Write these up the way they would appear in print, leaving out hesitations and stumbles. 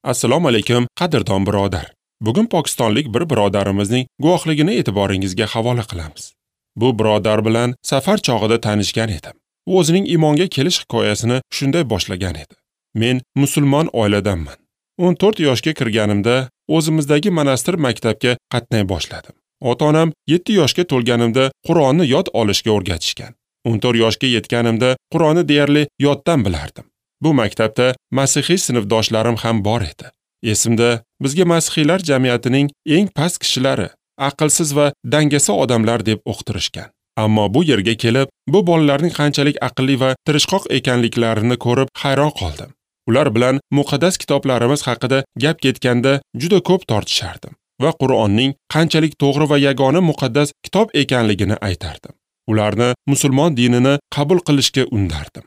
Assalomu alaykum, qadrdon birodar. Bugun pokistonlik bir birodarimizning guvohligini e'tiboringizga havola qilamiz. Bu birodar bilan safar chog'ida tanishgan edim. U o'zining iymonga kelish hikoyasini shunday boshlagan edi. Men musulmon oiladanman. 14 yoshga kirganimda o'zimizdagi monastir maktabga qatnay boshladim. Ota-onam 7 yoshga to'lganimda Qur'onni yod olishga o'rgatishgan. 14 yoshga yetganimda Qur'onni deyarli yoddan bilardim. Bu maktabda masihiy sinfdoshlarim ham bor edi. Esimda, bizga masihiylar jamiyatining eng past kishilari, aqlsiz va dangasa odamlar deb o'qitirishgan. Ammo bu yerga kelib, bu bolalarning qanchalik aqlli va tirishqoq ekanliklarini ko'rib hayron qoldim. Ular bilan muqaddas kitoblarimiz haqida gap ketganda juda ko'p tortishardim va Qur'onning qanchalik to'g'ri va yagona muqaddas kitob ekanligini aytardim. Ularni musulmon dinini qabul qilishga undardim.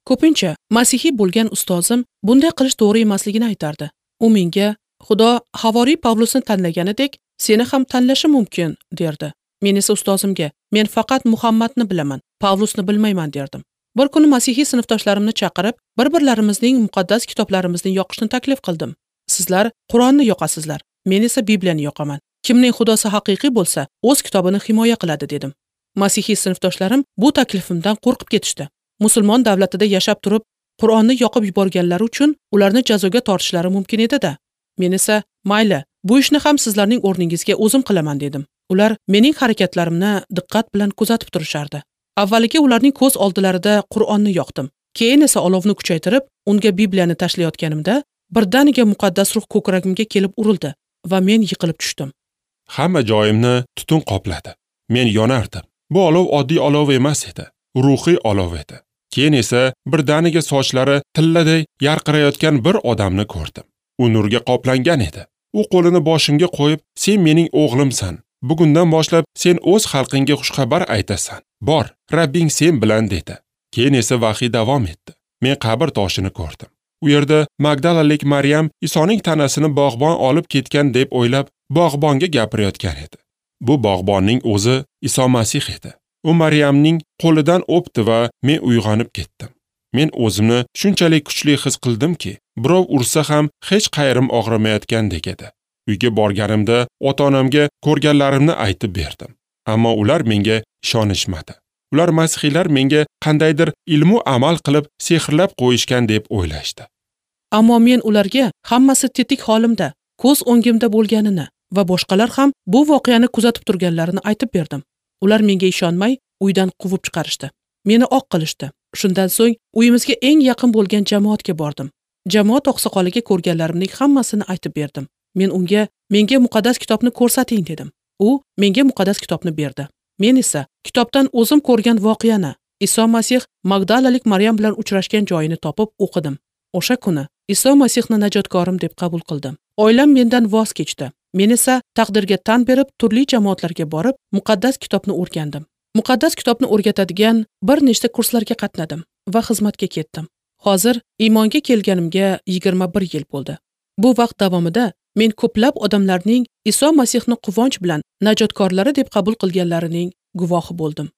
Ko'pincha masihiy bo'lgan ustozim bunday qilish to'g'ri emasligini aytardi. U menga Xudo havoriy Pavlusni tanlaganidek, seni ham tanlashi mumkin, derdi. Men esa ustozimga, men faqat Muhammadni bilaman, Pavlusni bilmayman derdim. Bir kuni masihiy sinfdoshlarimni chaqirib, bir-birlarimizning muqaddas kitoblarimizni yoqishni taklif qildim. Sizlar Qur'onni yoqasizlar, men esa Bibliyani yoqaman. Kimning xudosi haqiqiy bo'lsa, o'z kitobini himoya qiladi dedim. Masihiy sinfdoshlarim bu taklifimdan qo'rqib ketishdi. Musulmon davlatida yashab turib, Qur'onni yoqib yuborganlari uchun ularni jazoga tortishlari mumkin edi-da. Men esa, mayli, bu ishni ham sizlarning o'rningizga o'zim qilaman dedim. Ular mening harakatlarimni diqqat bilan kuzatib turishardi. Avvaliga ularning ko'z oldilarida Qur'onni yoqdim. Keyin esa olovni kuchaytirib, unga Bibliyani tashlayotganimda, birdaniga muqaddas ruh ko'kragimga kelib urildi va men yiqilib tushdim. Hamma joyimni tutun qopladi. Men yonardim. Bu olov oddiy olov emas edi, ruhiy olov edi. Keyin esa birdaniga sochlari tilladay yarqirayotgan bir odamni ko'rdim. U nurga qoplangan edi. U qo'lini boshimga qo'yib, "Sen mening o'g'limsan. Bugundan boshlab sen o'z xalqingga xushxabar aytasan. Bor, Rabbing sen bilan" dedi. Keyin esa vahiy davom etdi. Men qabr toshini ko'rdim. U yerda Magdalalik Maryam Isoning tanasini bog'bon olib ketgan deb o'ylab, bog'bonga gapirayotgan edi. Bu bog'bonning o'zi Iso Masih edi. U Maryamning qo'lidan o'pdi va men uyg'onib ketdim. Men o'zimni shunchalik kuchli his qildimki, birov ursa ham hech qayerim og'rimayotgandek edi. Uyga borganimda ota-onamga ko'rganlarimni aytib berdim. Ammo ular menga ishonishmadi. Ular masihiylar menga qandaydir ilmu amal qilib sehrlab qo'yishgan deb o'ylashdi. Ammo men ularga hammasi tetik holimda, ko'z o'ngimda bo'lganini va boshqalar ham bu voqeani kuzatib turganlarini aytib berdim. Ular menga ishonmay uydan quvib chiqarishdi. Meni oq qilishdi. Shundan so'ng uyimizga eng yaqin bo'lgan jamoatga bordim. Jamoat oqsoqoliga ko'rganlarimning hammasini aytib berdim. Men unga, menga muqaddas kitobni ko'rsating dedim. U menga muqaddas kitobni berdi. Men esa kitobdan o'zim ko'rgan voqeani, Iso Masih Magdalalik Maryam bilan uchrashgan joyini topib o'qidim. O'sha kuni Iso Masihni najotkorim deb qabul qildim. Oilam mendan voz kechdi. Men esa taqdirga tan berib, turli jamoatlarga borib, muqaddas kitobni o'rgandim. Muqaddas kitobni o'rgatadigan bir nechta kurslarga qatnadim va xizmatga ketdim. Hozir iymonga kelganimga 21 yil bo'ldi. Bu vaqt davomida men ko'plab odamlarning Iso Masihni quvonch bilan najotkorlari deb qabul qilganlarining guvohi bo'ldim.